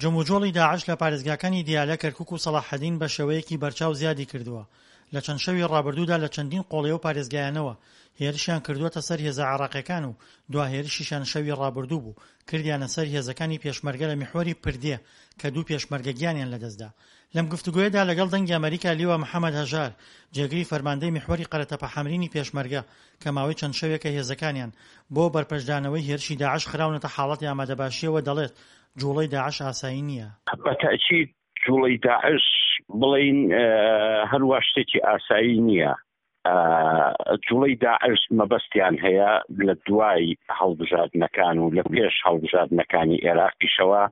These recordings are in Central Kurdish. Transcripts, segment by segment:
جموجۆڵی داعش لە پارێزگاکانی دیالە، کەرکوک و سەڵاحەدین بە شێوەیەکی بەرچاو زیادی کردووە، لە چەند شەوی ڕابردوودا لە چەندین قۆڵی ئەو پارێزگایانەوە هێرشیان کردووەتە سەر هێزە عێراقیەکان و دوا هێرشیشیان شەوی ڕابردوو بوو کردیانە سەر هێزەکانی پێشمەرگە لە میحوەری پردێ کە دوو پێشمەرگە گیانیان لەدەستدا. لەم گفتوگۆیەدا لەگەڵ دەنگی ئەمەریکا لیوا محەمەد هەژار، جێگری فەرماندەی میحوەری قەرەتەپە حەمرینی پێشمەرگە کە ماوەی چەند شەوێکە هێزەکانیان بۆ بەرپەرچدانەوەی هێرشی داعش خراونەتە حاڵەتی ئامادەباشییەوە دەڵێت جوڵەی داعش ئاسایی نییە. بە تەئکید جوڵەی داعش بڵێین هەروا شتێکی ئاسایی نییە. جوڵەی داعش مەبەستیان هەیە لە دوای هەڵبژاردنەکان و لە پێش هەڵبژاردنەکانی ئێراقیشەوە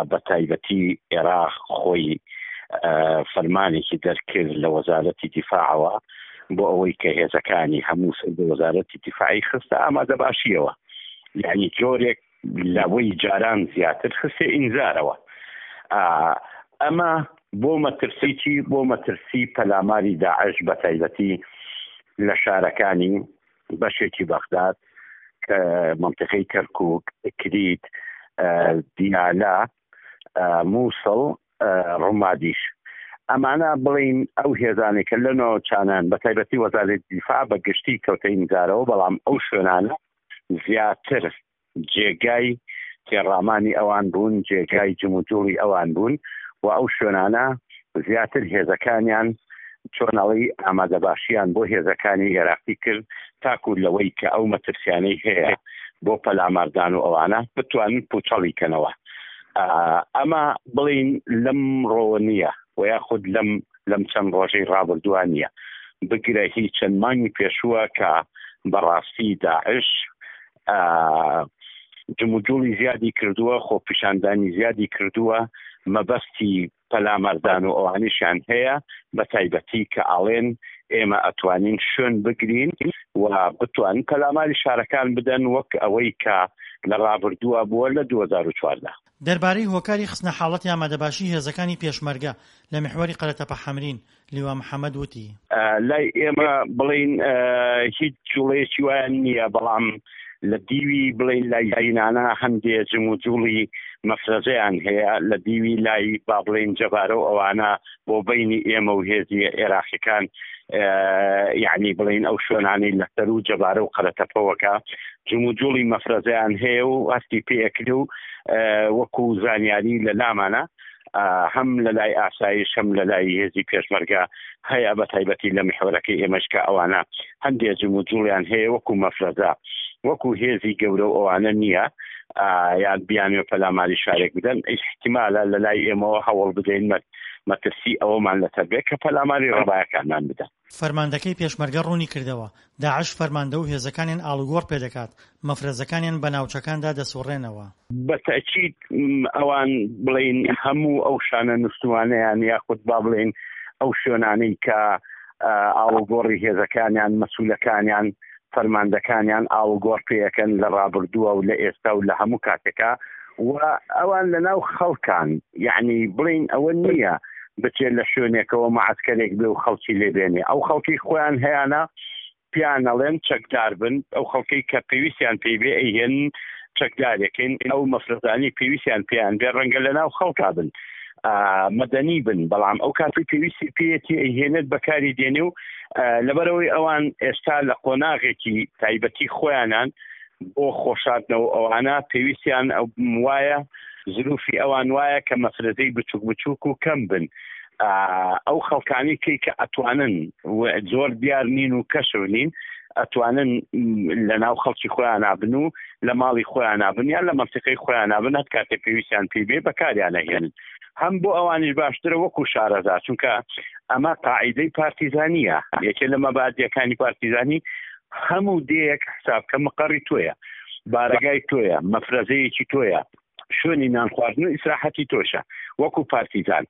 بە تایبەتی ئێراق خۆی فەرمانێکی دەرکرد لە وەزارەتی دیفاعەوە بۆ ئەوەی کە هێزەکانی هەموو سەر بە وەزارەتی دیفاعی خستە ئامادەباشیەوە یعنی جۆرێک لەوەی جاران زیاتر خستە ئینزارەوە ئەمە بۆ مەترسی چی بۆ مەترسی پەلاماری داعش بە تایبەتی لە شارەکانی بەشێکی بەغداد کە منطقەی کەرکک کریت دیالە مووسڵ ڕومادیش ئەمانە بڵین ئەو هێزانێک کە لە ناوچانان بە تایبەتی وەزارەتی دیفاع بە گشتی کەوتە ئینزارەوە بەڵام ئەو شوێنانە زیاتر جێگای تێڕامانی ئەوان بوون، جێگای جموجوڵی ئەوان بوون و ئەو شوێنانە زیاتر هێزەکانیان چۆن ئەڵێی ئامادەباشیان بۆ هێزەکانی ئێراقی کرد تاکو لەوەی کە ئەو مەترسیانەی هەیە بۆ پەلاماردان و ئەوانە بتوانن پوچەڵی کەنەوە. ئەمە بڵێین لەمڕۆوە نییە و یاخود لەم لەم چەند ڕۆژەی ڕابردووە نییە، بگرە هی چەند مانگی پێشووە کە بەڕاستی داعش جموجوڵی زیادی کردووە، خۆپیشاندانی زیادی کردووە، مەبەستی پەلاماردان و ئەوانیشیان هەیە، بە تایبەتی کە ئاڵێن ئێمە ئەتوانین شوێن بگرین و بتوانن پەلاماری شارەکان بدەن وەک ئەوەی کە لە ڕابردووە بووە لە 2014. دەربارەی هۆکاری خستنە حاڵەتی ئامادەباشی هێزەکانی پێشمەرگە لە میحوەری قەرەتەپە حەمرین، لیوا محەمەد وتی. لای ئێمە بڵێین هیچ جوڵەیەکی وایان نییە، بەڵام لە دیوی بڵێین لای زینانە هەندێ جموجوڵی مەفرەزەیان هەیە، لە دیوی لای با بڵێین جەبارە و ئەوانە بۆ بەینی ئێمە و هێزی عێراقیەکان یعنی بڵێین ئەو شوێنانەی لە سەروو جەبارە و قەرەتەپەوەکە جموجوڵی مەفرەزەیان هەیە و هەستی پێ ئەکرێ و وەکو زانیاری لە لامانە هەم لە لای ئاسایش هەم لە لای هێزی پێشمەرگە هەیە بە تایبەتی لە میحوەرەکەی ئێمەش کە ئەوانە هەندێ جموجوڵیان هەیە وەکو مەفرەزە وەکو هێزی گەورە و ئەوانە نییە یان بیانوێ پەلاماری شارێک بدەن ئیحتیمالە لە لای ئێمەوە هەوڵ بدەین مەترسی ئەوەمان لەسەر بێت کە پەلاماری ڕەبایەکانمان بدەن. فەرماندەکەی پێشمەرگە ڕوونیکردەوە، داعش فەرماندە و هێزەکانیان ئاڵوگۆڕ پێدەکات، مەفرەزەکانیان بە ناوچەکاندا دەسوڕێنەوە. بە تەئکید ئەوان بڵێین هەموو ئەو شانە نوستووانەیان یاخود با بڵێین ئەو شوێنانەی کە ئاڵوگۆڕی هێزەکانیان، مەسولەکانیان، فەرماندەکانیان ئاڵوگۆڕ پێ ئەکەن لە ڕابردووە و لە ئێستا و لە هەموو کاتێکا و ئەوان لە ناو خەڵکان یەعنی بڵێین ئەوە نییە بچێت لە شوێنێکەوە مەعەسکەرێک بێ و خەڵکی لێ بێنێ ئەو خەڵکی خۆیان هەیانە پێیان ئەڵێن چەکدار بن ئەو خەڵکەی کە پێویستیان پێی بێ ئەیهێنن چەکدارێکن ئەو مەفرەزانەی پێویستیان پێیان بێ ڕەنگە لە ناو خەڵکا بن مەدەنی بن بەڵام ئەو کاتی پێویستی پێیەتی ئەیهێنێت بەکاری دێنێ و لەبەرەوەی ئەوان ئێستا لە قۆناغێکی تایبەتی خۆیانان بۆ خۆشاردنەوە ئەوانە پێویستیان وایە زروفی ئەوان وایە کە مەفرەزەی بچوک بچوک و کەم بن ئەو خەڵکانی کەی کە ئەتوانن زۆر دیار نین و کەشف نین ئەتوانن لە ناو خەڵکی خۆیان بن و لە ماڵی خۆیان بن یان لە مەنتیقەی خۆیان بن هەر کاتێک پێویستیان پێی بێ بەکاریان ئەهێنن هەم بۆ ئەوانیش باشترە وەکو شارەزا چونکە ئەمە قاعیدەی پارتیزانیە یەکێ لە مەبادیەکانی پارتیزانی هەموو دێیەک حساب کە مقەڕی تۆیە بارەگای تۆیە مەفرەزەیەکی تۆیە شوێنی نان خواردن و ئیسراحەتی تۆشە وەکو پارتیزان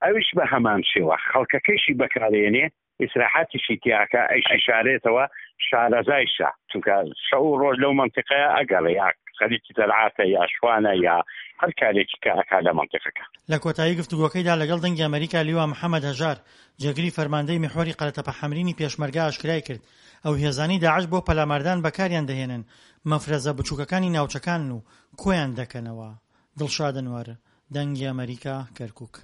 ئەویش بە هەمان شێوە خەڵکەکەیشی بەکارێنێ ئیسراحەتیشی تیاکە ئەیشیشارێتەوە شارەزایشە چونکە شەو و ڕۆژ لەو مەنتیقەیە ئەگەڕێ یا خەریکی زەرعاتە یا شوانە یا هەر کارێکی کە ئەکا لە مەنتیقەکە. لە کۆتایی گفتوگۆکەیدا لەگەڵ دەنگی ئەمەریکا لیوا محەمەد هەژار، جێگری فەرماندەی میحوەری قەرەتەپە حەمرینی پێشمەرگە ئاشکرای کرد، ئەو هێزانەی داعش بۆ پەلاماردان بەکاریان دەهێنن مەفرەزە بچووکەکانی ناوچەکانن و کۆیان دەکەنەوە. دڵشاد ئەنوەر، دەنگی ئەمەریکا، کەرکوک.